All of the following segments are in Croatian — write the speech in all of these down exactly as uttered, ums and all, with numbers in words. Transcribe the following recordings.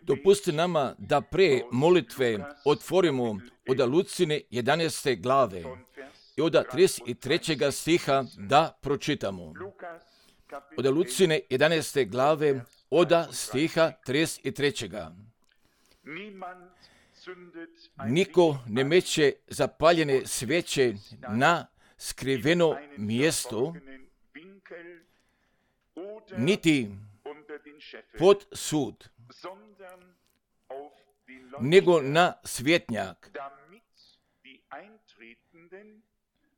Dopustite nama da pre molitve otvorimo od Lucine jedanaeste glave i od trideset trećeg stiha da pročitamo. Od Lucine jedanaeste glave od stiha trideset trećeg. Niko ne meće zapaljene sveće na skriveno mjesto, niti pod sud, nego na svjetnjak,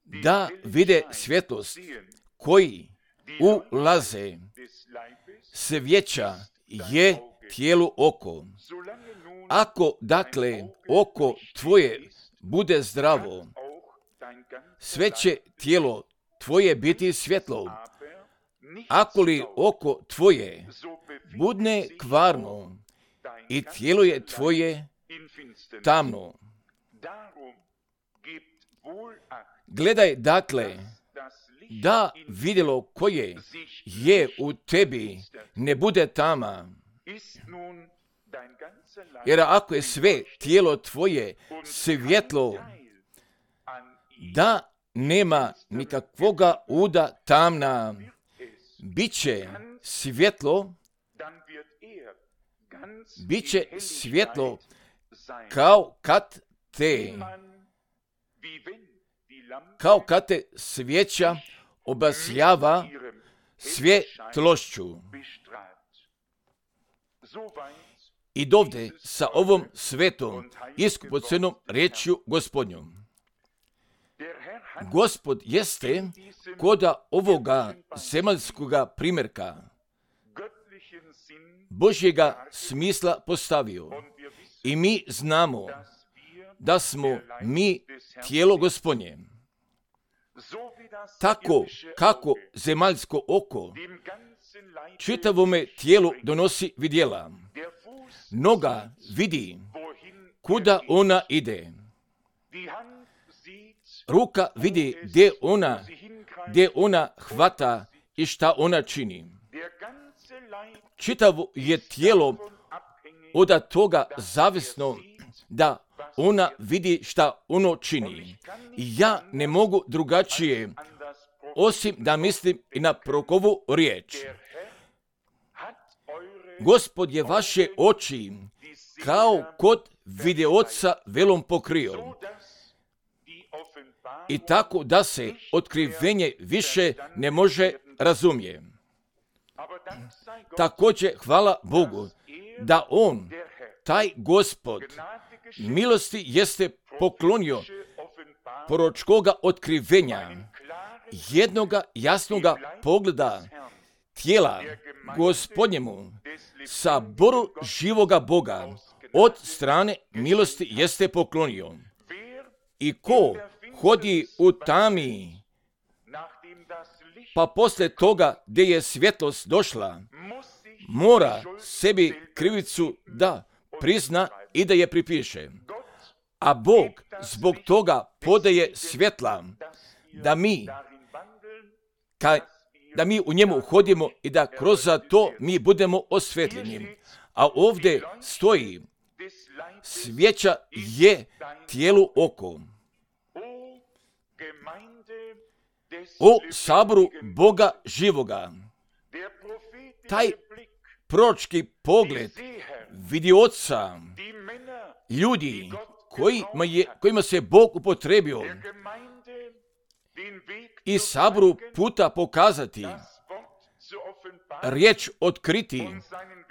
da vide svjetlost koji ulaze. Svjeća je tijelu oko. Ako dakle oko tvoje bude zdravo, sve će tijelo tvoje biti svjetlo. Ako li oko tvoje budne kvarno i tijelo je tvoje tamno. Gledaj dakle da vidjelo koje je u tebi ne bude tama. Jer ako je sve tijelo tvoje svjetlo, da nema nikakvoga uda tamna, bit će svjetlo, bit će svjetlo kao kad te, kao kad te svjeća obasjava svjetlošću. I dovde sa ovom svetom iskupocenom riječju Gospodnjom. Gospod jeste koda ovoga zemaljskoga primjerka Božjega smisla postavio. I mi znamo da smo mi tijelo Gospodnje. Tako kako zemaljsko oko čitavome tijelu donosi vidjela. Noga vidi kuda ona ide. Ruka vidi gdje ona, gdje ona hvata i šta ona čini. Čitavo je tijelo od toga zavisno da ona vidi šta ono čini. I ja ne mogu drugačije osim da mislim i na prorokovu riječ. Gospod je vaše oči kao kod videoca velom pokrio. I tako da se otkrivenje više ne može razumjeti. Također hvala Bogu da On, taj Gospod, milosti jeste poklonio proročkoga otkrivenja, jednoga jasnoga pogleda tijela Gospodnjemu, saboru živoga Boga, od strane milosti jeste poklonio. I ko hodi u tami, pa poslije toga gdje je svjetlost došla, mora sebi krivicu da prizna i da je pripiše. A Bog zbog toga podaje svjetla da mi, ka, da mi u njemu hodimo i da kroz to mi budemo osvjetljeni. A ovdje stoji, svjeća je tijelu oko. O saboru Boga živoga, taj proročki pogled vidi oca, ljudi kojima, je, kojima se Bog upotrebio i saboru puta pokazati, riječ otkriti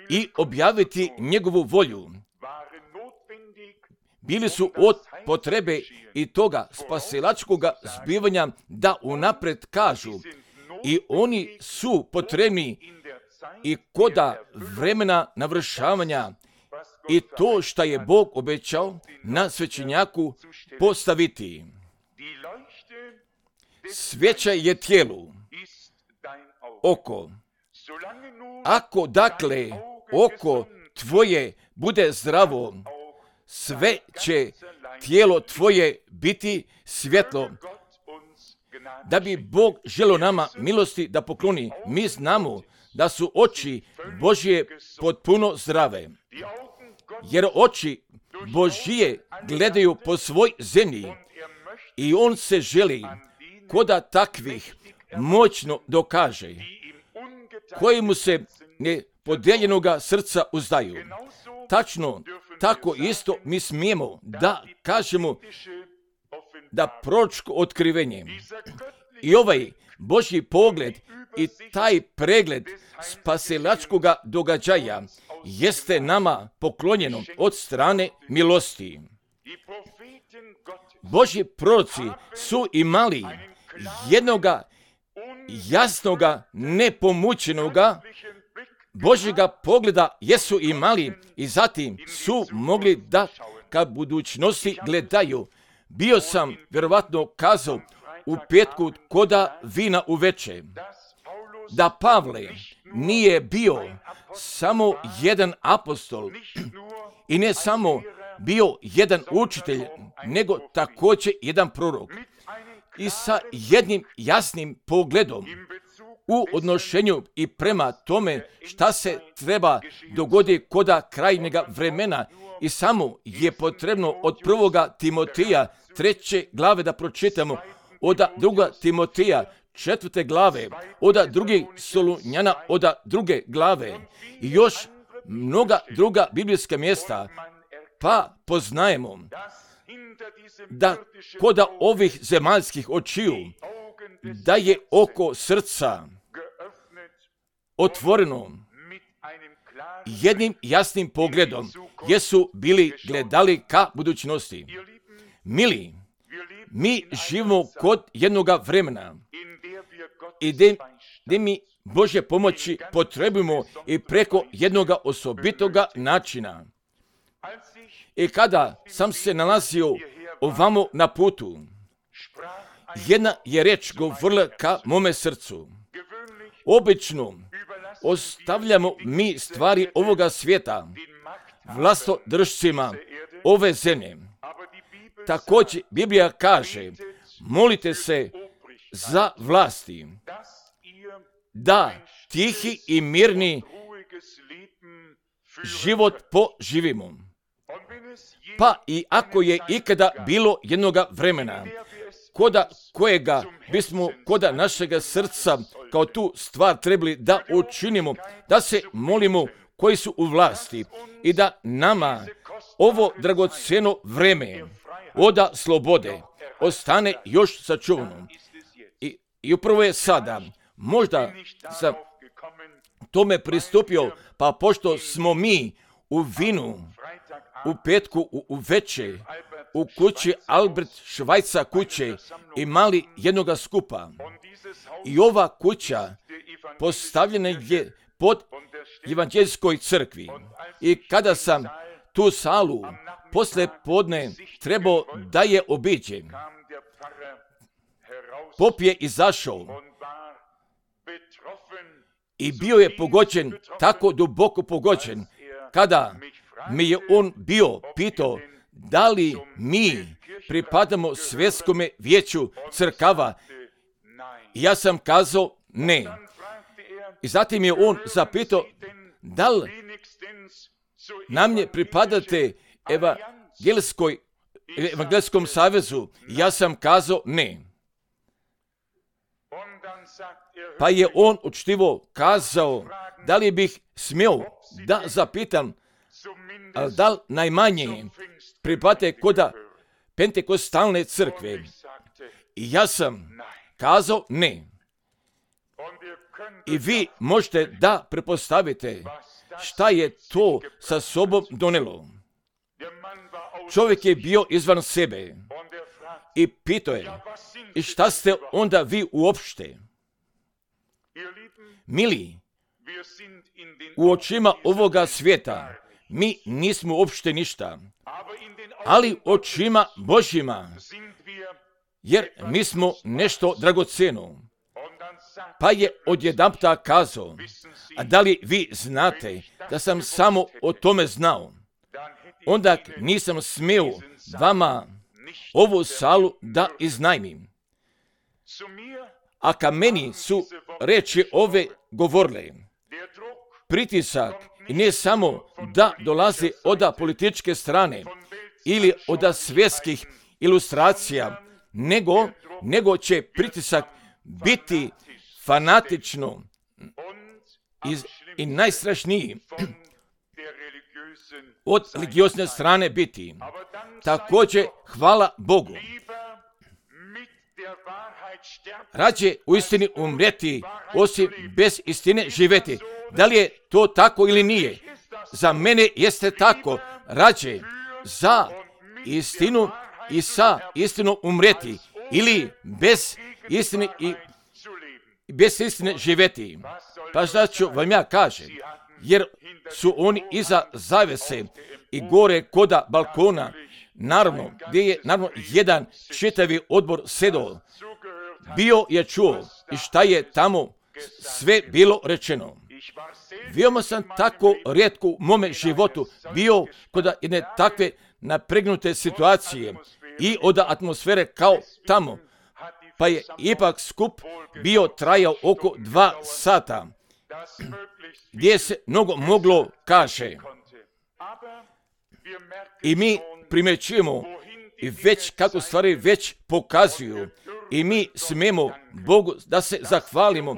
i objaviti njegovu volju. Bili su od potrebe i toga spasilačkoga zbivanja da unapred kažu i oni su potrebni i koda vremena navršavanja i to što je Bog obećao na svećenjaku postaviti. Svjeća je tijelu, oko. Ako dakle oko tvoje bude zdravo, sve će tijelo tvoje biti svjetlo. Da bi Bog želio nama milosti da pokloni, mi znamo da su oči Božje potpuno zdrave, jer oči Božje gledaju po svoj zemlji i on se želi koda takvih moćno dokaže, koji mu se nepodeljenoga srca uzdaju. Tačno, tako isto mi smijemo da kažemo da proročko otkrivenje i ovaj Božji pogled i taj pregled spasilačkoga događaja jeste nama poklonjeno od strane milosti. Božji proroci su imali jednoga jasnoga, nepomućenoga Božjega pogleda jesu imali i zatim su mogli da ka budućnosti gledaju. Bio sam vjerovatno kazao u petku koda vina uveče da Pavle nije bio samo jedan apostol i ne samo bio jedan učitelj, nego također jedan prorok i sa jednim jasnim pogledom u odnošenju i prema tome šta se treba dogoditi koda krajnjega vremena. I samo je potrebno od prvoga Timoteja treće glave da pročitamo, od druga Timoteja četvrte glave, od drugi Solunjana od druge glave i još mnoga druga biblijska mjesta, pa poznajemo da koda ovih zemaljskih očiju da je oko srca otvoreno jednim jasnim pogledom, jesu bili gledali ka budućnosti. Mili, mi živimo kod jednoga vremena i gdje mi Božje pomoći potrebujemo i preko jednoga osobitoga načina. I kada sam se nalazio ovamo na putu, jedna je reč govorila ka mome srcu. Obično ostavljamo mi stvari ovoga svijeta vlastodržcima ove zemlje. Također Biblija kaže, molite se za vlasti, da tihi i mirni život poživimo. Pa i ako je ikada bilo jednoga vremena, koda kojega bismo koda našega srca kao tu stvar trebali da učinimo, da se molimo koji su u vlasti i da nama ovo dragocjeno vreme oda slobode ostane još sačuvano. I, i upravo je sada, možda sam tome pristupio, pa pošto smo mi u vinu, u petku, u, u veče, u kući Albert Švajca kuće imali jednoga skupa. I ova kuća postavljena je pod evanđeljskoj crkvi. I kada sam tu salu posle podne trebao da je obiđem, pop je izašao i bio je pogođen, tako duboko pogođen, kada mi je on bio pitao da li mi pripadamo svjetskome vijeću crkava. Ja sam kazao ne. I zatim je on zapitao da li nam je pripadate evanđelskoj, evanđelskom savezu. Ja sam kazao ne. Pa je on učtivo kazao da li bih smio da zapitam, ali da li najmanje pripadate koda pentekostalne crkve. I ja sam kazao ne. I vi možete da prepostavite šta je to sa sobom donelo. Čovjek je bio izvan sebe i pitao je, i šta ste onda vi uopšte? Mili, u očima ovoga svijeta mi nismo uopšte ništa, ali očima Božjima, jer mi smo nešto dragocjeno. Pa je odjedanputa kazao, a da li vi znate da sam samo o tome znao? Onda nisam smio vama ovu salu da iznajmim. A ka meni su reči ove govorile, pritisak i ne samo da dolazi od političke strane ili od svjetskih ilustracija, nego, nego će pritisak biti fanatično i, i najstrašniji od religiozne strane biti. Također, hvala Bogu. Rađe u istini umreti, osim bez istine živeti. Da li je to tako ili nije? Za mene jeste tako. Rađe za istinu i sa istinom umreti, ili bez istine i bez istine živeti. Pa šta ću vam ja kažem? Jer su oni iza zavese i gore koda balkona, naravno, gdje je naravno jedan čitavi odbor sedao. Bio je čuo i šta je tamo sve bilo rečeno. Veoma sam tako rijetko u mome životu bio kod jedne takve napregnute situacije i od atmosfere kao tamo. Pa je ipak skup bio trajao oko dva sata, gdje se mnogo moglo kaže. I mi primjećujemo i već kako stvari već pokazuju i mi smijemo Bogu da se zahvalimo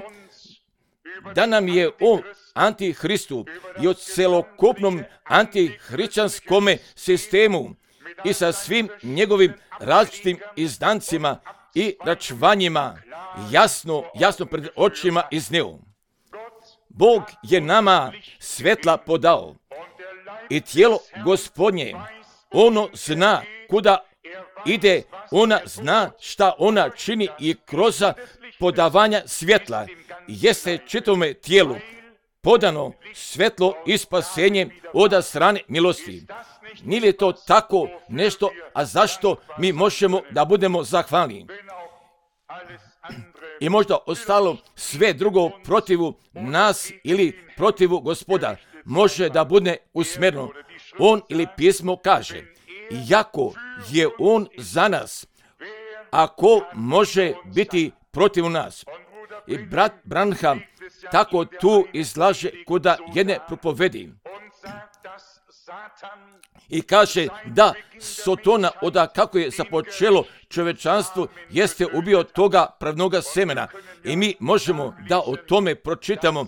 da nam je o antihristu i o celokupnom antihrišćanskom sistemu i sa svim njegovim različitim izdancima i račvanjima jasno, jasno pred očima iznio. Bog je nama svetla podao i tijelo Gospodnje, ono zna kuda ide, ona zna šta ona čini i kroz podavanja svjetla jeste čitome tijelu podano svetlo i spasenje od strane milosti. Nije li to tako nešto, a zašto mi možemo da budemo zahvalni? I možda ostalo sve drugo protivu nas ili protivu Gospoda može da bude usmjereno. On ili pismo kaže, iako je on za nas, ako može biti protiv nas. I brat Branham tako tu izlaže kuda jedne propovedi. I kaže da Sotona oda kako je započelo čovečanstvo jeste ubio toga pravnoga semena. I mi možemo da o tome pročitamo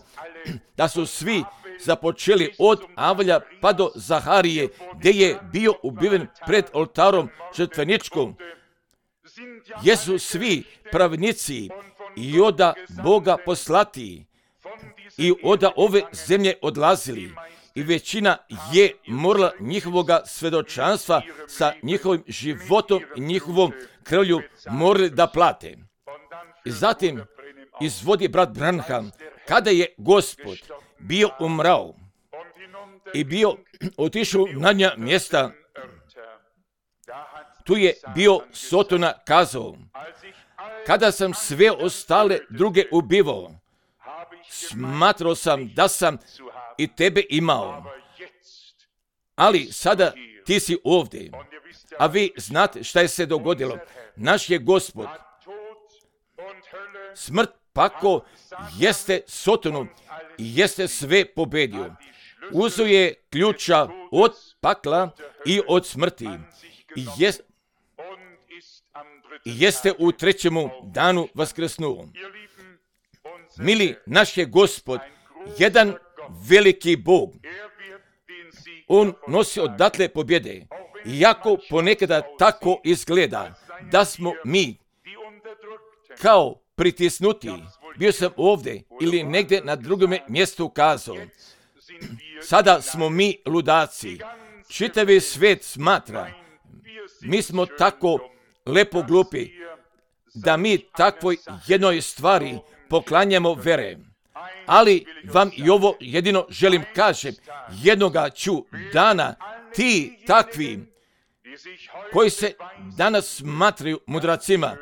da su svi započeli od Avalja pa do Zaharije, gdje je bio ubiven pred oltarom žrtveničkom. Jesu svi pravnici i oda Boga poslati i oda ove zemlje odlazili. I većina je morala njihovoga svedočanstva sa njihovim životom i njihovom krvlju morali da plate. I zatim izvodi brat Branham, kada je Gospod bio umrao i bio otišao na nja mjesta, tu je bio Sotona kazao, kada sam sve ostale druge ubivao, smatrao sam da sam i tebe imao, ali sada ti si ovdje, a vi znate šta je se dogodilo. Naš je Gospod smrt pako jeste Sotonu i jeste sve pobedio. Uzeo je ključa od pakla i od smrti i jest, jeste u trećemu danu vaskrsnuo. Mili, naš je Gospod jedan veliki Bog. On nosi odatle pobjede. Iako ponekada tako izgleda da smo mi kao pritisnuti, bio sam ovdje ili negdje na drugom mjestu kazao, sada smo mi ludaci. Čitavi svijet smatra, mi smo tako lepo glupi, da mi takvoj jednoj stvari poklanjamo vere. Ali vam i ovo jedino želim kažem, jednoga ću dana ti takvi koji se danas smatraju mudracima,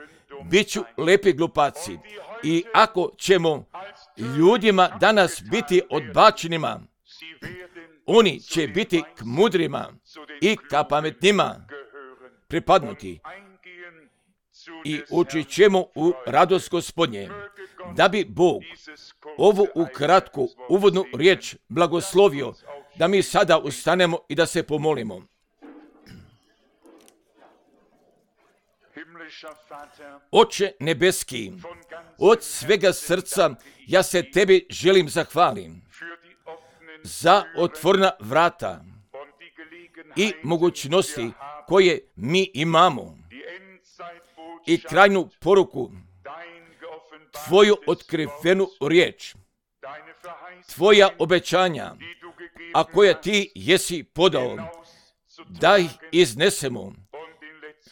bit ću lepi glupaci. I ako ćemo ljudima danas biti odbačenima, oni će biti k mudrima i ka pametnima pripadnuti. i ući ćemo u radost Gospodnje. Da bi Bog ovu ukratku uvodnu riječ blagoslovio, da mi sada ustanemo i da se pomolimo. Oče nebeski, od svega srca ja se tebi želim zahvalim za otvorena vrata i mogućnosti koje mi imamo i krajnju poruku, tvoju otkrivenu riječ, tvoja obećanja, a koja ti jesi podao, da ih iznesemo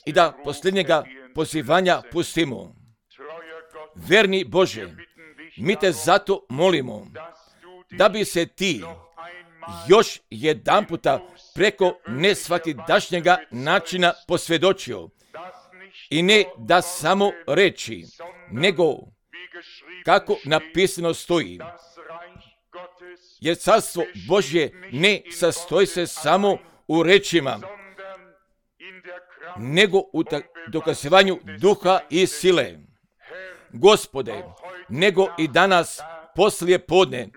i da posljednjega pozivanja pustimo. Verni Bože, mi te zato molimo da bi se ti još jedan puta preko nesvakidašnjega načina posvjedočio i ne da samo reći, nego kako napisano stoji. Jer carstvo Božje ne sastoji se samo u rečima, nego u dokazivanju duha i sile. Gospode, nego i danas poslije podne,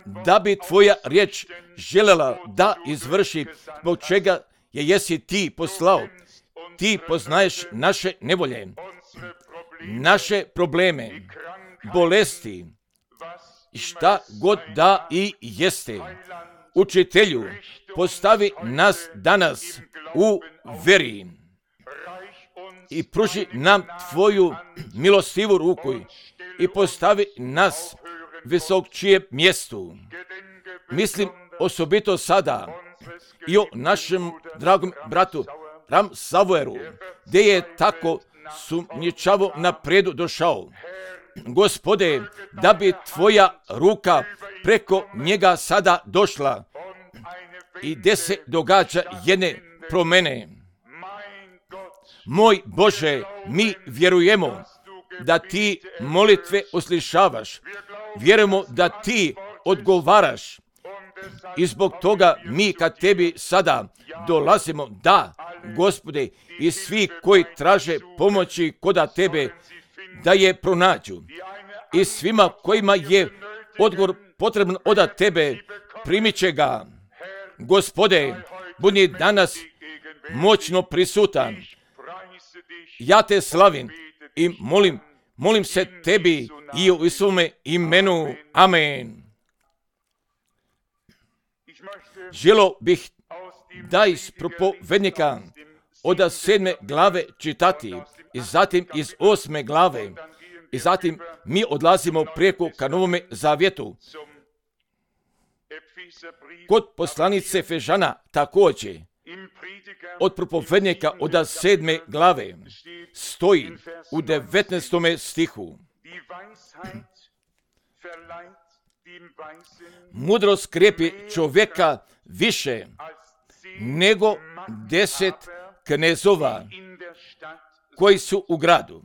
da bi tvoja riječ željela da izvrši zbog čega je jesi ti poslao. Ti poznaješ naše nevolje, naše probleme, bolesti, šta god da i jeste. Učitelju, postavi nas danas u veri i pruži nam tvoju milostivu ruku i postavi nas visok čije mjestu. Mislim osobito sada i o našem dragom bratu Ram Savoeru, gdje je tako sumnjičavo napredu došao. Gospode, da bi tvoja ruka preko njega sada došla i gdje se događa jedne promjene. Moj Bože, mi vjerujemo da ti molitve uslišavaš. Vjerujemo da ti odgovaraš. I zbog toga mi kad tebi sada dolazimo, da, Gospode, i svi koji traže pomoći koda tebe, da je pronađu. I svima kojima je odgovor potreban od tebe, primit će ga. Gospode, budi danas moćno prisutan. Ja te slavim i molim, molim se tebi i u svome imenu. Amen. Želo bih da iz propovednika od sedme glave čitati i zatim iz osme glave i zatim mi odlazimo preko ka Novome Zavjetu. Kod poslanice Efežana također od propovednika od sedme glave stoji u devetnaestome stihu. Mudrost krepi čovjeka više nego deset knezova koji su u gradu.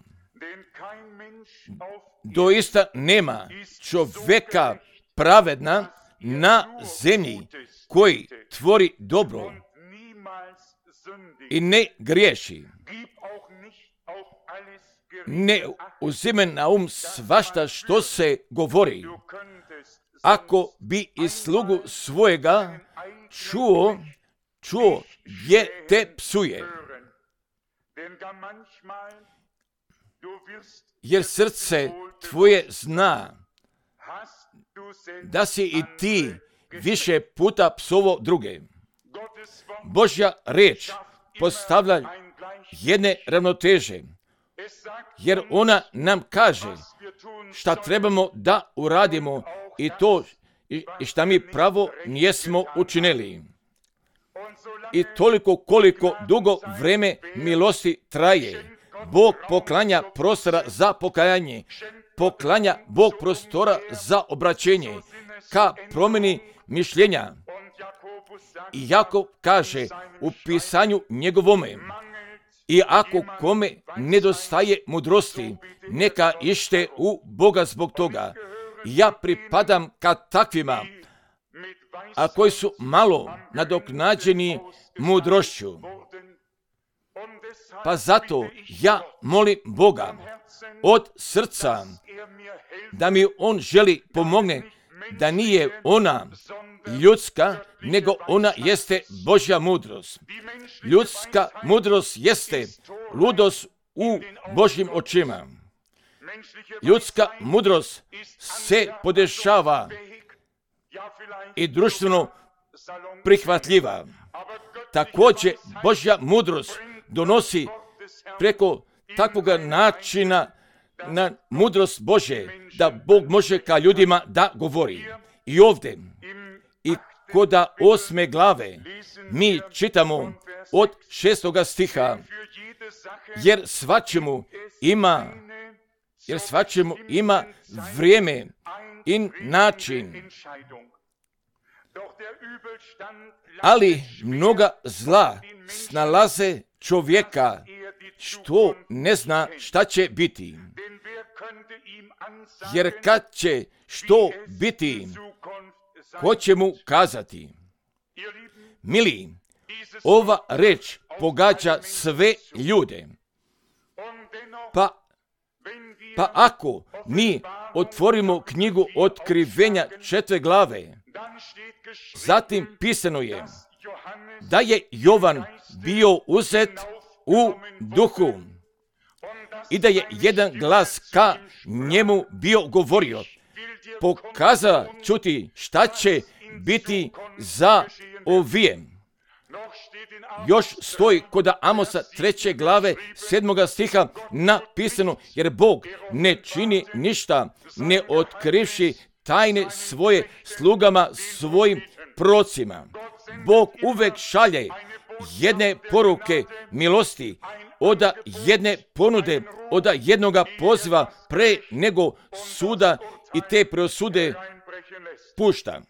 Doista nema čovjeka pravedna na zemlji koji tvori dobro i ne griješi. Ne uzime na um svašta što se govori. Ako bi i slugu svojega čuo, čuo gdje te psuje. Jer srce tvoje zna da si i ti više puta psovo druge. Božja riječ postavlja jedne ravnoteže, jer ona nam kaže šta trebamo da uradimo i to i šta mi pravo nijesmo učinili. I toliko koliko dugo vreme milosti traje, Bog poklanja prostora za pokajanje, poklanja Bog prostora za obraćenje, ka promjeni mišljenja. I Jakov kaže u pisanju njegovome, i ako kome nedostaje mudrosti, neka ište u Boga zbog toga. Ja pripadam ka takvima, a koji su malo nadoknađeni mudrošću. Pa zato ja molim Boga od srca da mi On želi pomogne, da nije ona ljudska, nego ona jeste Božja mudrost. Ljudska mudrost jeste ludost u Božjim očima. Ljudska mudrost se podešava i društveno prihvatljiva. Također Božja mudrost donosi preko takvog načina na mudrost Bože, da Bog može ka ljudima da govori. I ovdje, i koda osme glave, mi čitamo od šestoga stiha, jer svačemu ima, jer svačemu ima vrijeme i način. Ali mnoga zla snalaze čovjeka, što ne zna šta će biti. Jer kad će što biti, ko će mu kazati? Mili, ova reč pogađa sve ljude. Pa, pa ako mi otvorimo knjigu Otkrivenja četvrte glave, zatim pisano je da je Jovan bio uzet u duhu i da je jedan glas ka njemu bio govorio, pokazao čuti šta će biti za ovijem. Još stoji kod Amosa treće glave sedmoga stiha napisano, jer Bog ne čini ništa ne otkrivši tajne svoje slugama, svojim procima. Bog uvek šalje jedne poruke milosti, od jedne ponude, od jednoga poziva pre nego suda i te preosude pušta.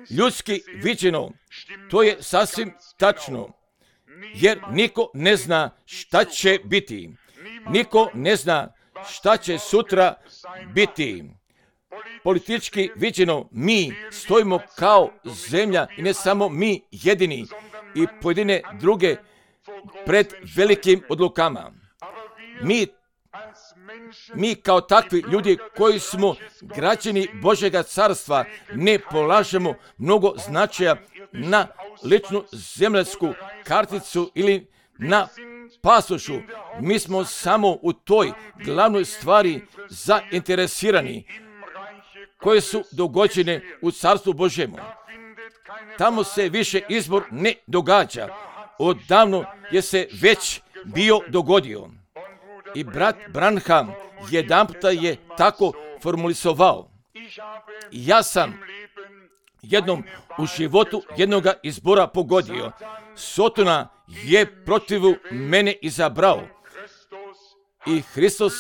Ljudski viđeno, to je sasvim tačno, jer niko ne zna šta će biti. Niko ne zna šta će sutra biti. Politički viđeno, mi stojimo kao zemlja i ne samo mi jedini i pojedine druge pred velikim odlukama. Mi, mi kao takvi ljudi koji smo građani Božjega carstva ne polažemo mnogo značaja na ličnu zemljansku karticu ili na pasošu. Mi smo samo u toj glavnoj stvari zainteresirani koje su dogođene u carstvu Božjemu. Tamo se više izbor ne događa. Odavno je se već bio dogodio. I brat Branham jedanputa je tako formulisovao. Ja sam jednom u životu jednoga izbora pogodio. Sotona je protiv mene izabrao. I Hristos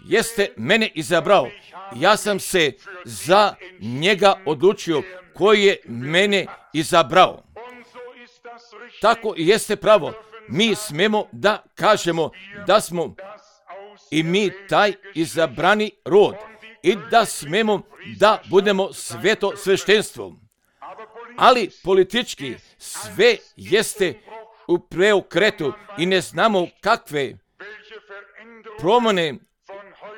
jeste mene izabrao. Ja sam se za njega odlučio koji je mene izabrao. Tako i jeste pravo. Mi smemo da kažemo da smo i mi taj izabrani rod i da smemo da budemo sveto sveštenstvo. Ali politički sve jeste u preokretu i ne znamo kakve promjene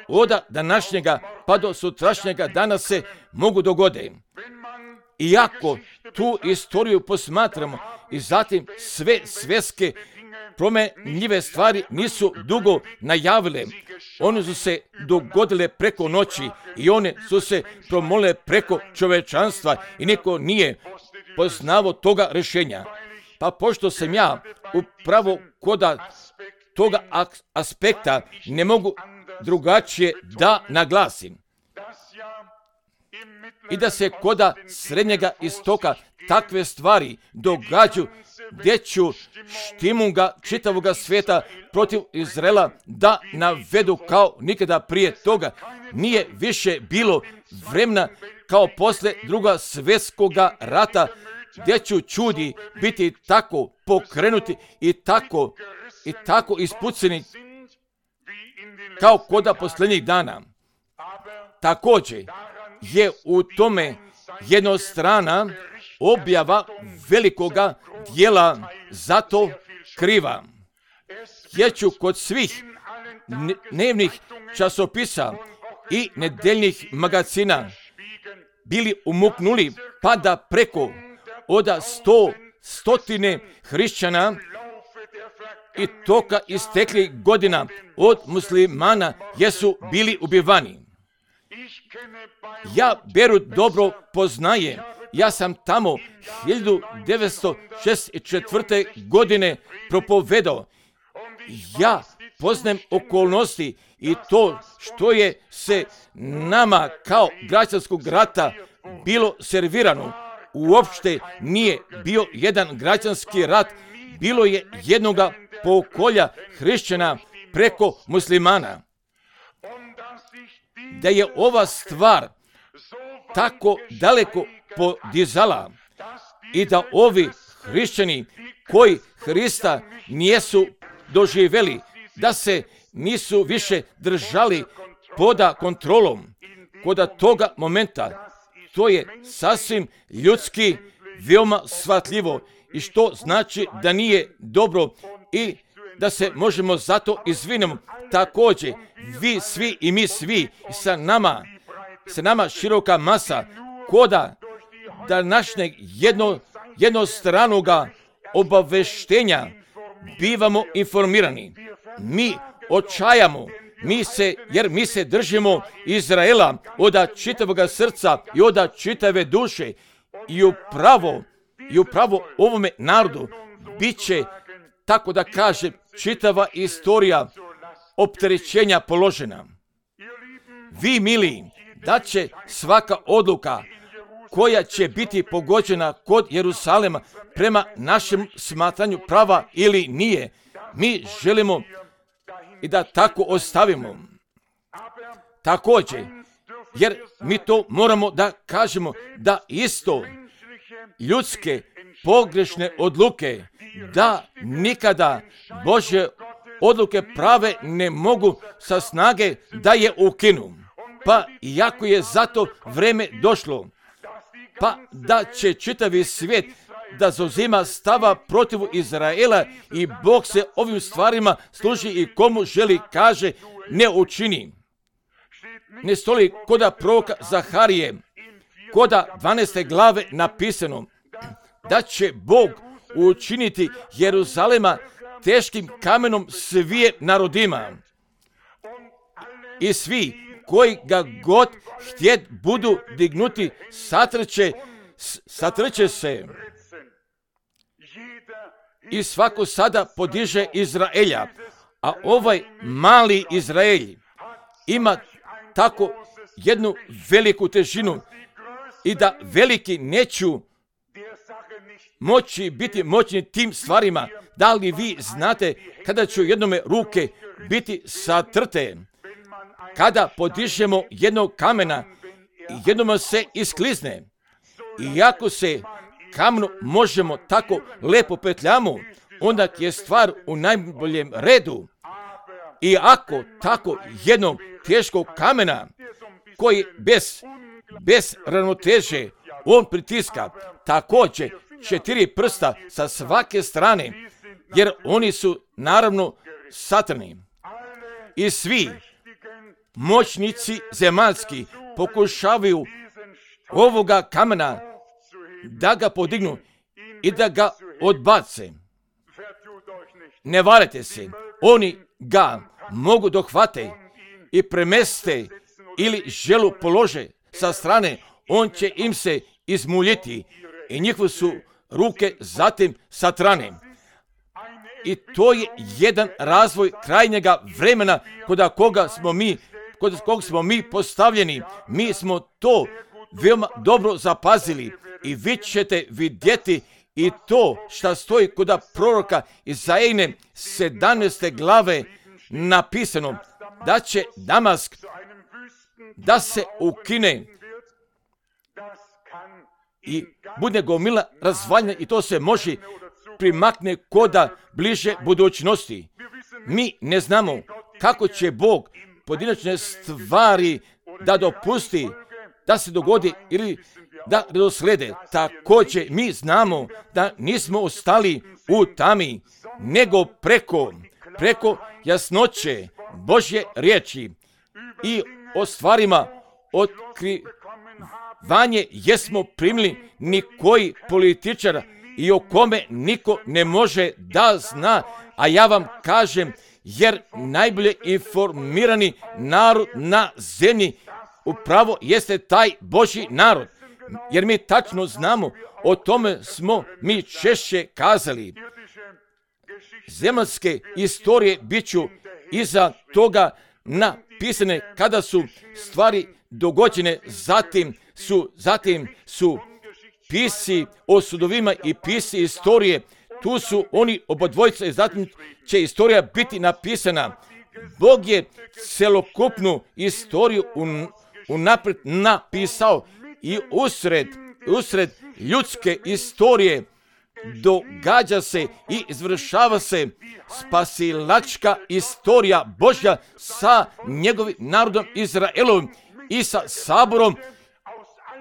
od današnjega pa do sutrašnjega dana se mogu dogoditi. Iako tu istoriju posmatramo i zatim sve svjetske promenljive stvari nisu dugo najavile. One su se dogodile preko noći i one su se promole preko čovečanstva i niko nije poznavao toga rješenja. Pa pošto sam ja upravo koda toga aspekta ne mogu drugačije da naglasim. I da se koda Srednjega istoka takve stvari događaju gdje ću štimunga čitavoga svijeta protiv Izraela da navedu kao nikada prije toga. Nije više bilo vremena kao posle druga svjetskoga rata gdje ću čudi biti tako pokrenuti i tako i tako ispuceni kao koda posljednjih dana. Također je u tome jednostrana objava velikoga dijela zato kriva. jer ću kod svih dnevnih časopisa i nedeljnih magazina bili umuknuli, pa da preko oda sto, stotine hrišćana i toka istekli godina od muslimana jesu bili ubivani. Ja Berut dobro poznajem. Ja sam tamo hiljadu devetsto šezdeset četvrte. godine propovedao. Ja poznajem okolnosti i to što je se nama kao građanskog rata bilo servirano. Uopšte nije bio jedan građanski rat, bilo je jednoga pokolja hrišćana preko muslimana. Da je ova stvar tako daleko podizala i da ovi hrišćani koji Hrista nijesu doživjeli, da se nisu više držali poda kontrolom, koda toga momenta, to je sasvim ljudski, veoma shvatljivo i što znači da nije dobro i da se možemo zato izvinemo. Također, vi svi i mi svi sa nama, sa nama široka masa, koda današnjeg jedno, jednostranoga obaveštenja bivamo informirani. Mi očajamo, mi se, jer mi se držimo Izraela oda čitavoga srca i oda čitave duše i upravo, i upravo ovome narodu bit će, tako da kaže, čitava istorija opterećenja položena. Vi, mili, da će svaka odluka koja će biti pogođena kod Jerusalema prema našem smatranju prava ili nije, mi želimo i da tako ostavimo. Također, jer mi to moramo da kažemo, da isto ljudske pogrešne odluke, da nikada Božje odluke prave ne mogu sa snage da je ukinu. Pa iako je zato vreme došlo, pa da će čitavi svijet da zauzima stava protiv Izraela i Bog se ovim stvarima služi i komu želi, kaže, ne učini. Ne stoji koda proroka Zaharije, koda dvanaeste glave napisano, da će Bog učiniti Jeruzalema teškim kamenom svije narodima. I svi koji ga god htjet budu dignuti, satrče, satrče se. I svako sada podiže Izraelja, a ovaj mali Izrael ima tako jednu veliku težinu i da veliki neću moći biti moćni tim stvarima. Da li vi znate kada će jednome ruke biti satrte? Kada podižemo jednog kamena, jednome se isklizne. Iako se kamenu možemo tako lepo petljamo, onda je stvar u najboljem redu. I ako tako jednog teškog kamena, koji bez, bez ravnoteže on pritiska, također četiri prsta sa svake strane, jer oni su naravno satrni. I svi moćnici zemaljski pokušavaju ovoga kamena da ga podignu i da ga odbace. Ne varite se, oni ga mogu dohvate i premeste ili želu polože sa strane, on će im se izmuljiti i njihove su ruke zatim satrane. I to je jedan razvoj krajnjega vremena kod koga smo mi, kod koga smo mi postavljeni. Mi smo to veoma dobro zapazili i vi ćete vidjeti i to što stoji kod proroka Izajine sedamnaeste glave napisano, da će Damask da se ukine i bude gomila razvaljena i to se može primakne koda bliže budućnosti. Mi ne znamo kako će Bog pojedinačne stvari da dopusti da se dogodi ili da redoslede. Također mi znamo da nismo ostali u tami, nego preko, preko jasnoće Božje riječi i o stvarima otkrivanje jesmo primili nikoji političar i o kome niko ne može da zna, a ja vam kažem, jer najbolje informirani narod na zemlji upravo jeste taj Božji narod. Jer mi tačno znamo, o tome smo mi češće kazali. Zemaljske istorije bit ću iza toga napisane kada su stvari dogođene, zatim su, zatim su pisci o sudovima i pisci istorije, tu su oni obodvojica i zatim će istorija biti napisana. Bog je celokupnu istoriju un, unaprijed napisao i usred, usred ljudske istorije događa se i izvršava se spasilačka istorija Božja sa njegovim narodom Izraelom i sa saborom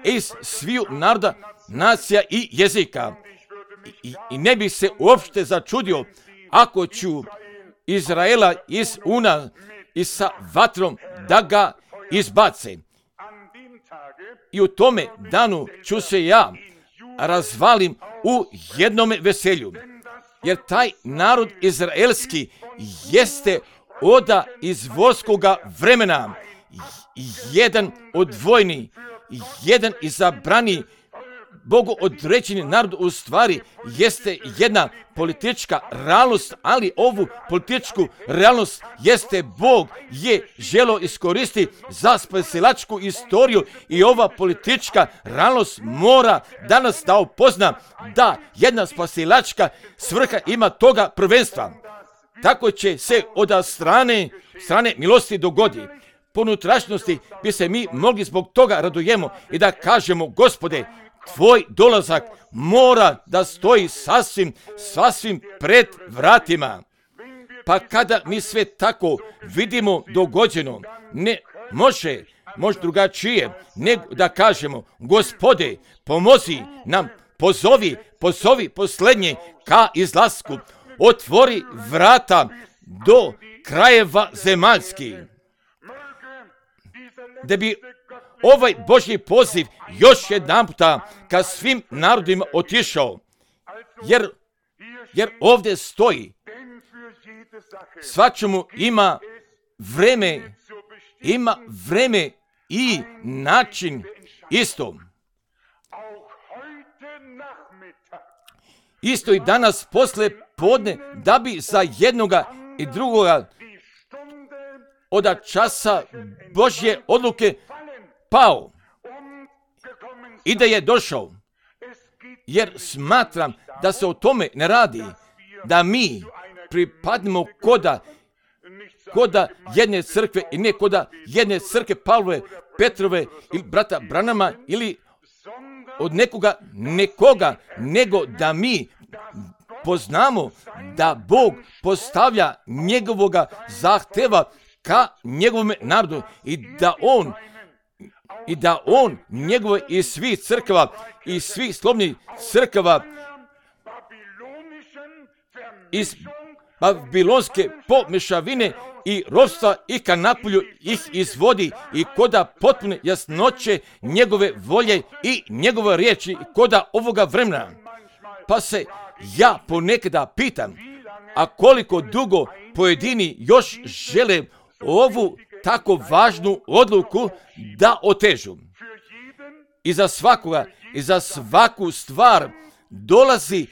iz sviju naroda, nacija i jezika. I, i ne bi se uopšte začudio ako ću Izraela iz Una i sa vatrom da ga izbace. I u tome danu ću se ja razvalim u jednome veselju. Jer taj narod izraelski jeste oda iz vorskoga vremena, jedan odvojni, jedan izabrani, Bogu određeni narod u stvari jeste jedna politička realnost, ali ovu političku realnost jeste Bog je želio iskoristiti za spasilačku istoriju i ova politička realnost mora danas da upozna da jedna spasilačka svrha ima toga prvenstva. Tako će se od strane, strane milosti dogodi. Po unutrašnjosti bi se mi mogli zbog toga radujemo i da kažemo, Gospode, Tvoj dolazak mora da stoji sasvim, sasvim pred vratima. Pa kada mi sve tako vidimo dogođeno, ne može, može drugačije, nego da kažemo, Gospode, pomozi nam, pozovi, pozovi posljednje ka izlasku, otvori vrata do krajeva zemaljskih, da bi ovaj Božji poziv još jedan puta ka svim narodima otišao, jer, jer ovdje stoji, svačemu ima vreme, ima vreme i način isto. Isto i danas posle podne, da bi za jednoga i drugoga od časa Božje odluke pao i da je došao, jer smatram da se o tome ne radi, da mi pripadnemo koda, koda jedne crkve i ne koda jedne crkve Pavlove, Petrove ili brata Branama ili od nekoga, nekoga, nego da mi poznamo da Bog postavlja njegovoga zahteva ka njegovom narodu i da on i da on njegove i svih crkava i svih slobodnih crkava iz babilonske pomešavine i ropstva i ka napolju ih izvodi i koda potpune jasnoće njegove volje i njegove riječi koda ovoga vremena. Pa se ja ponekada pitam, a koliko dugo pojedini još žele ovu tako važnu odluku da otežu. I za svakoga, i za svaku stvar dolazi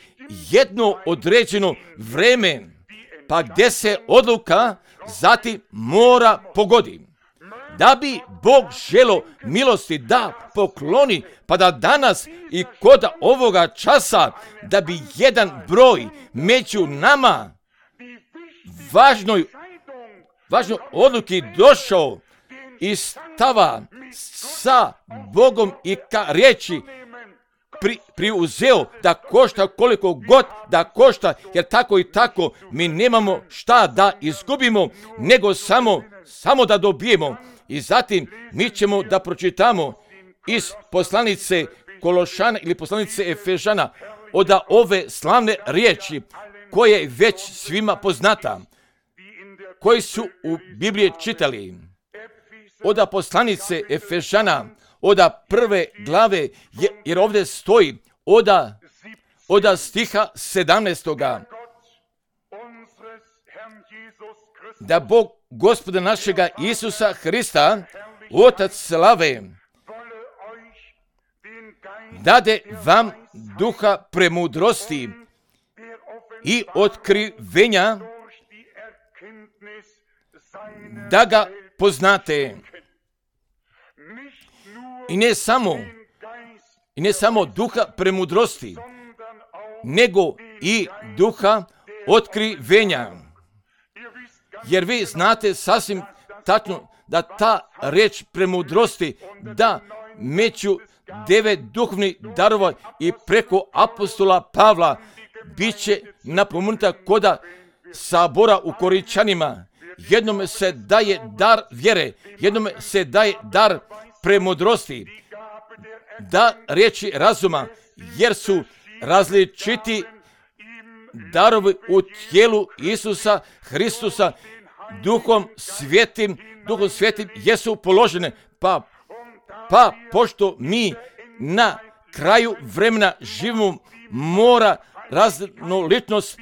jedno određeno vreme, pa gdje se odluka zatim mora pogodi. Da bi Bog želo milosti da pokloni, pa da danas i kod ovoga časa, da bi jedan broj među nama važnoj važnoj odluki došao i stava sa Bogom i ka riječi pri, priuzeo da košta koliko god da košta, jer tako i tako mi nemamo šta da izgubimo, nego samo, samo da dobijemo. I zatim mi ćemo da pročitamo iz poslanice Kološana ili poslanice Efežana od ove slavne riječi koje je već svima poznata. koji su u Bibliji čitali, od poslanice Efežana, od prve glave, jer ovdje stoji od, od stiha sedamnaestoga. Da Bog Gospoda našega Isusa Hrista, Otac slave, dade vam duha premudrosti i otkrivenja, da ga poznate. I ne samo, i ne samo duha premudrosti, nego i duha otkrivenja. Jer vi znate sasvim tačno da ta reč premudrosti, da među devet duhovnih darova i preko apostola Pavla bit će napomenuta koda sabora u Korinčanima. Jednome se daje dar vjere, jednome se daje dar premudrosti, da riječi razuma, jer su različiti darovi u tijelu Isusa Hristusa, duhom svetim, duhom svetim jesu položene, pa, pa pošto mi na kraju vremena živimo, mora raznolikost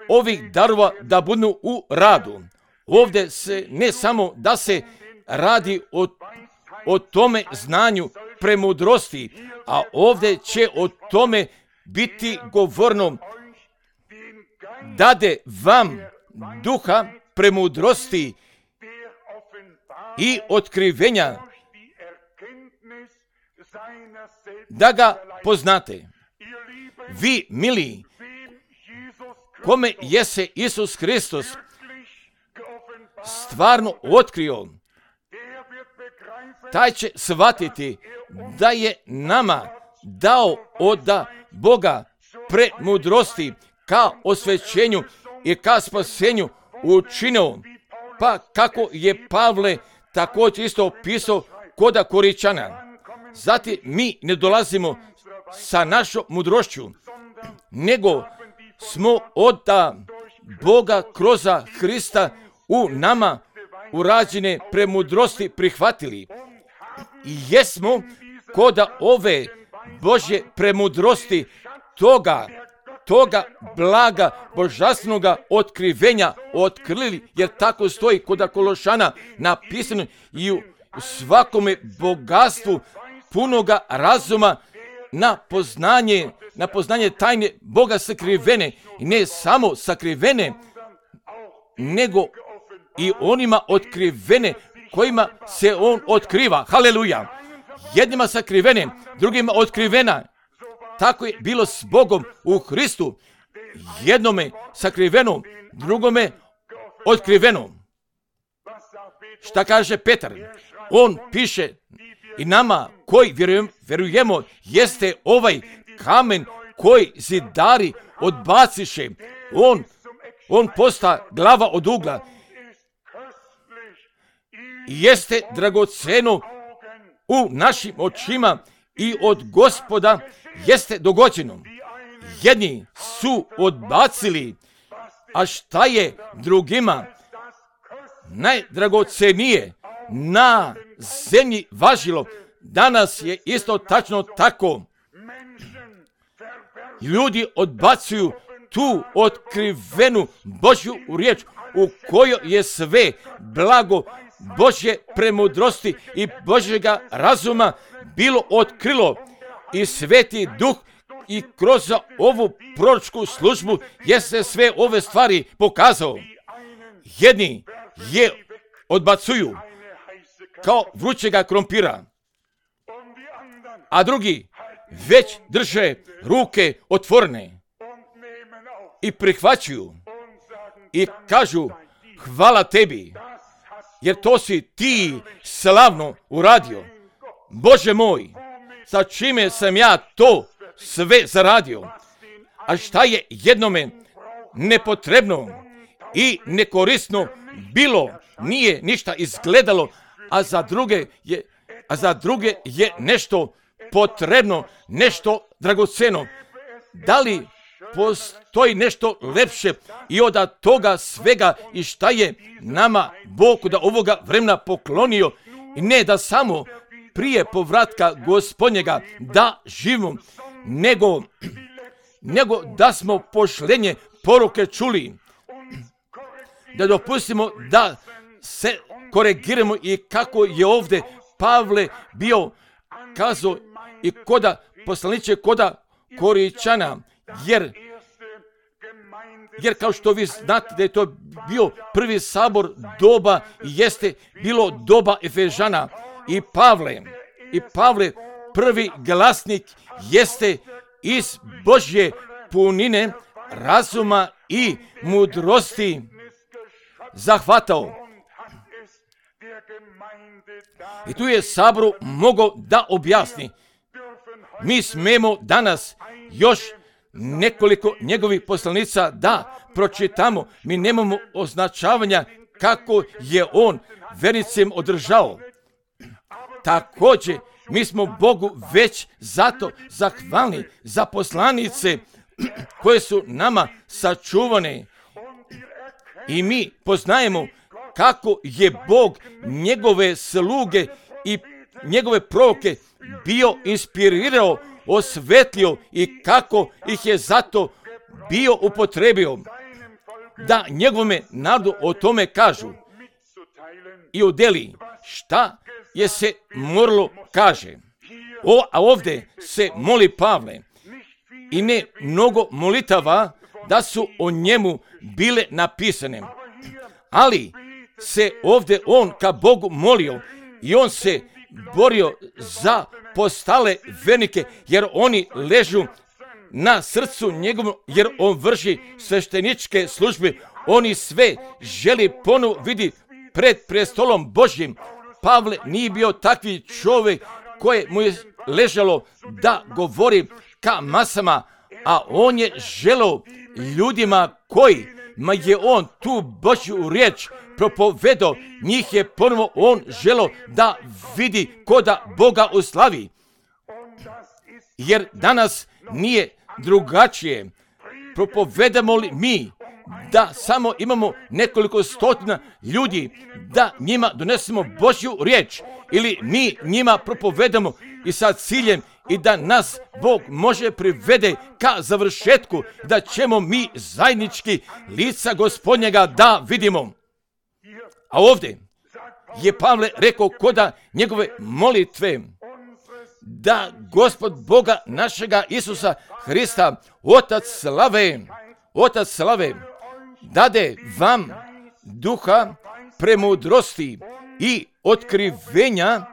ovih darova da budu u radu. Ovdje se ne samo da se radi o, o tome znanju premudrosti, a ovdje će o tome biti govorno, dade vam duha premudrosti i otkrivenja, da ga poznate. Vi, mili, kome je se Isus Hristos stvarno otkrio, taj će shvatiti da je nama dao od Boga premudrosti ka osvećenju i ka spasenju učinio, pa kako je Pavle također isto pisao koda Korinčana. Zatim mi ne dolazimo sa našom mudrošću, nego smo od Boga kroz Hrista u nama urađene premudrosti prihvatili. I jesmo koda ove Božje premudrosti toga, toga blaga božanstvenoga otkrivenja otkrili, jer tako stoji kod Kološana napisano, i u svakome bogatstvu punoga razuma na poznanje, na poznanje tajne Boga sakrivene, i ne samo sakrivene, nego i onima otkrivene kojima se on otkriva. Haleluja! Jednima sakrivene, drugima otkrivena. Tako je bilo s Bogom u Hristu. Jednome sakriveno, drugome otkriveno. Šta kaže Petar? On piše, i nama koji vjerujem, vjerujemo, jeste ovaj kamen koji zidari odbaciše. On, on posta glava od ugla. Jeste dragoceno u našim očima i od Gospoda jeste dogođeno. Jedni su odbacili, a šta je drugima najdragocenije na zemlji važilo, danas je isto tačno tako. Ljudi odbacuju tu otkrivenu Božju riječ u kojoj je sve blago Božje premudrosti i Božjega razuma bilo otkrilo, i Sveti Duh i kroz ovu proročku službu je se sve ove stvari pokazao. Jedni je odbacuju kao vrućega krompira, a drugi već drže ruke otvorene i prihvaćaju i kažu hvala tebi, jer to si ti slavno uradio. Bože moj, sa čime sam ja to sve zaradio? A šta je jednome nepotrebno i nekorisno bilo, nije ništa izgledalo, a za druge je, a za druge je nešto potrebno, nešto dragoceno. Da li postoji nešto lepše i od toga svega i šta je nama Bog da ovoga vremena poklonio i ne da samo prije povratka Gospodnjega da živimo, nego, nego da smo pošlenje poruke čuli, da dopustimo da se korigiramo i kako je ovdje Pavle bio kazao i koda poslaniče koda Koričana, jer Jer kao što vi znate da je to bio prvi sabor doba i jeste bilo doba Efežana i Pavle. I Pavle prvi glasnik jeste iz Božje punine, razuma i mudrosti zahvatao. I tu je saboru mogao da objasni. Mi smemo danas još nekoliko njegovih poslanica da pročitamo. Mi nemamo označavanja kako je on vernicem održao. Također, mi smo Bogu već zato zahvalni za poslanice koje su nama sačuvane. I mi poznajemo kako je Bog njegove sluge i njegove proroke bio inspirirao, osvetlio i kako ih je zato bio upotrebio da njegovome narodu o tome kažu i udeli šta je se moralo kaže. O, a ovdje se moli Pavle i ne mnogo molitava da su o njemu bile napisane, ali se ovdje on ka Bogu molio i on se borio za postale vernike, jer oni ležu na srcu njegovom, jer on vrši svešteničke službe. Oni sve želi ponovo vidi pred prestolom Božjim. Pavle nije bio takvi čovjek koje mu je ležalo da govori ka masama, a on je želeo ljudima koji ma je on tu Božju riječ propovedao, njih je ponovo on želeo da vidi koda Boga uslavi. Jer danas nije drugačije. Propovedamo li mi da samo imamo nekoliko stotina ljudi, da njima donesemo Božju riječ, ili mi njima propovedamo i sa ciljem i da nas Bog može privede ka završetku, da ćemo mi zajednički lica Gospodnjega da vidimo. A ovdje je Pavle rekao koda njegove molitve da Gospod Boga našega Isusa Hrista, Otac slave, Otac slave, dade vam duha premudrosti i otkrivenja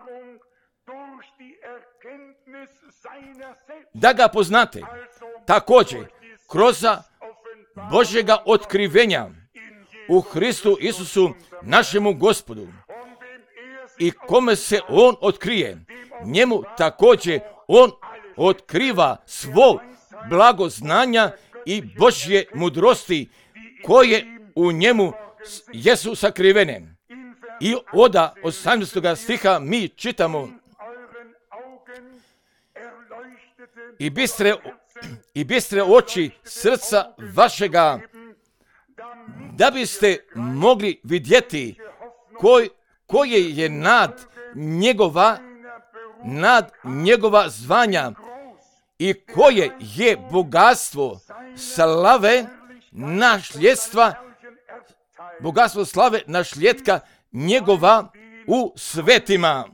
da ga poznate. Također, kroz Božjega otkrivenja u Hristu Isusu našemu Gospodu. I kome se on otkrije, njemu također on otkriva svo blago znanja i Božje mudrosti koje u njemu jesu sakrivene. I od osamnaestog stiha mi čitamo: I bistre, i bistre oči srca vašega, da biste mogli vidjeti koj, koje je nad njegova, nad njegova zvanja i koje je bogatstvo slave našljetstva, bogatstvo slave našljetka njegova u svetima.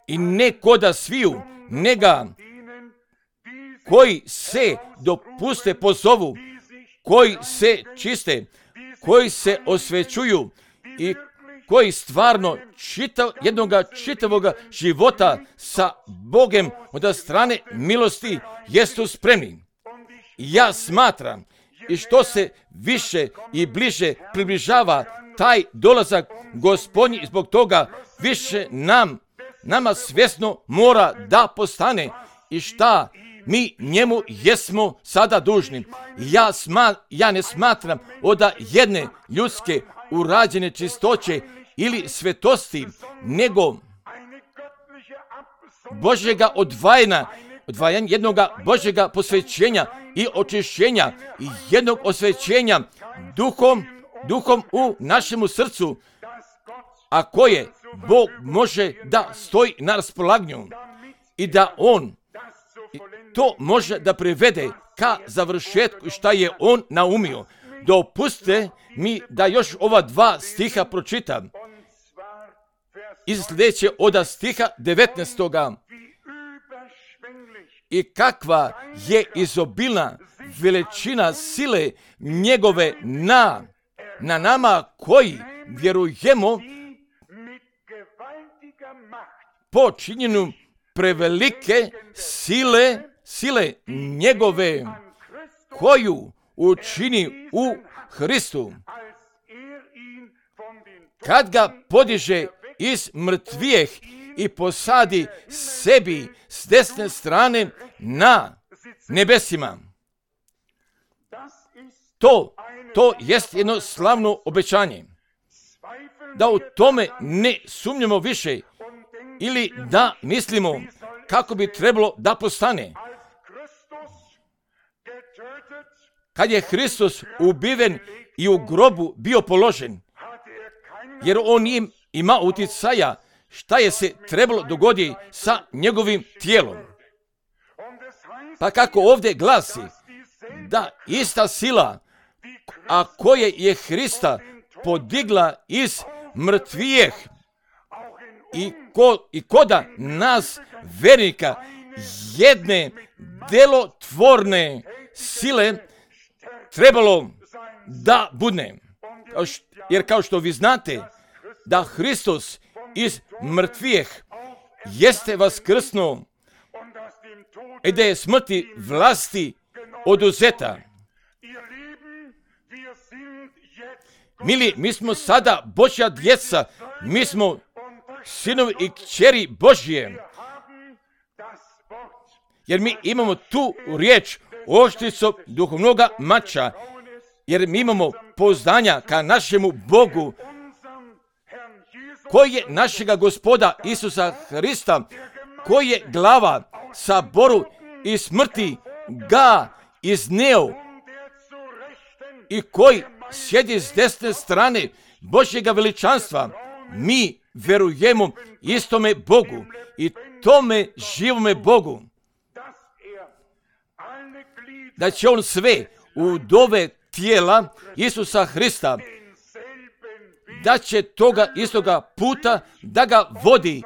I ne koda sviju, nega koji se dopuste pozovu, koji se čiste, koji se osvećuju i koji stvarno čitav, jednoga čitavoga života sa Bogem od strane milosti jesu spremni. Ja smatram i što se više i bliže približava taj dolazak Gospodnji, zbog toga više nam, nama svjesno mora da postane i šta mi njemu jesmo sada dužni. Ja, sma, ja ne smatram od jedne ljudske urađene čistoće ili svetosti, nego Božjega odvajena, odvajanja jednoga Božjega posvećenja i očišćenja i jednog osvećenja duhom, duhom u našemu srcu, a koje Bog može da stoji na raspolaganju i da On to može da privede ka završetku šta je On naumio. Dopustite mi da još ova dva stiha pročitam. Iz sljedeće od stiha devetnaestoga. I kakva je izobilna veličina sile njegove na, na nama koji vjerujemo po činjenju prevelike sile, sile njegove koju učini u Hristu. Kad ga podiže iz mrtvijeh i posadi sebi s desne strane na nebesima. To, to jest jedno slavno obećanje. Da u tome ne sumnjamo više ili da mislimo kako bi trebalo da postane. Kad je Hristos ubiven i u grobu bio položen, jer on im ima utjecaja šta je se trebalo dogoditi sa njegovim tijelom. Pa kako ovdje glasi, da ista sila, a koje je Hrista podigla iz mrtvijeh i, ko, i koda nas vernika jedne delotvorne sile trebalo da budne. Jer kao što vi znate, da Hristos iz mrtvijeh jeste vaskrsnuo i da je smrti vlasti oduzeta. Mili, mi smo sada Božja djeca, mi smo sinovi i kćeri Božje, jer mi imamo tu riječ oštricom duhovnoga mača, jer mi imamo poznanja ka našemu Bogu, koji je našega Gospoda Isusa Hrista, koji je glava saboru i smrti ga izneo i koji sjedi s desne strane Božjega veličanstva. Mi verujemo istome Bogu i tome živome Bogu, da će On sve udove tijela Isusa Hrista, da će toga istoga puta da ga vodi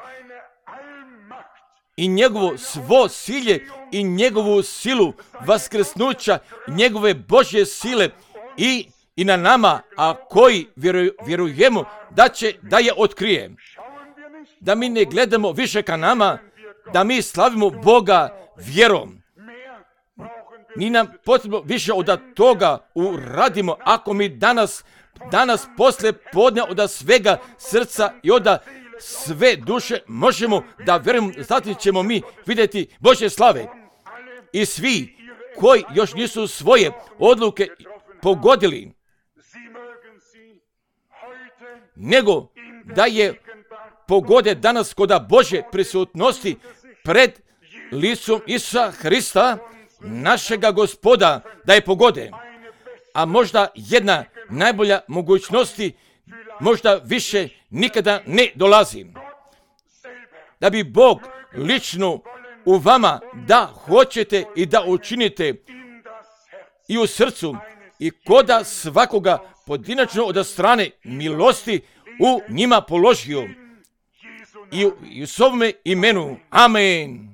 i njegovo svo silje i njegovu silu vaskrsnuća, njegove Božje sile i, i na nama, a koji vjeruj, vjerujemo da će da je otkrije. Da mi ne gledamo više ka nama, da mi slavimo Boga vjerom. Ni nam potrebno više od toga uradimo ako mi danas Danas posle podne od svega srca i od sve duše možemo da vjerujemo, zatim ćemo mi vidjeti Božje slave. I svi koji još nisu svoje odluke pogodili, nego da je pogode danas kod Božje prisutnosti pred licom Isusa Hrista, našega Gospoda, da je pogode. A možda jedna najbolja mogućnosti, možda više nikada ne dolazi. Da bi Bog lično u vama da hoćete i da učinite i u srcu i koda svakoga pojedinačno od strane milosti u njima položio. I u, i u svome imenu. Amen.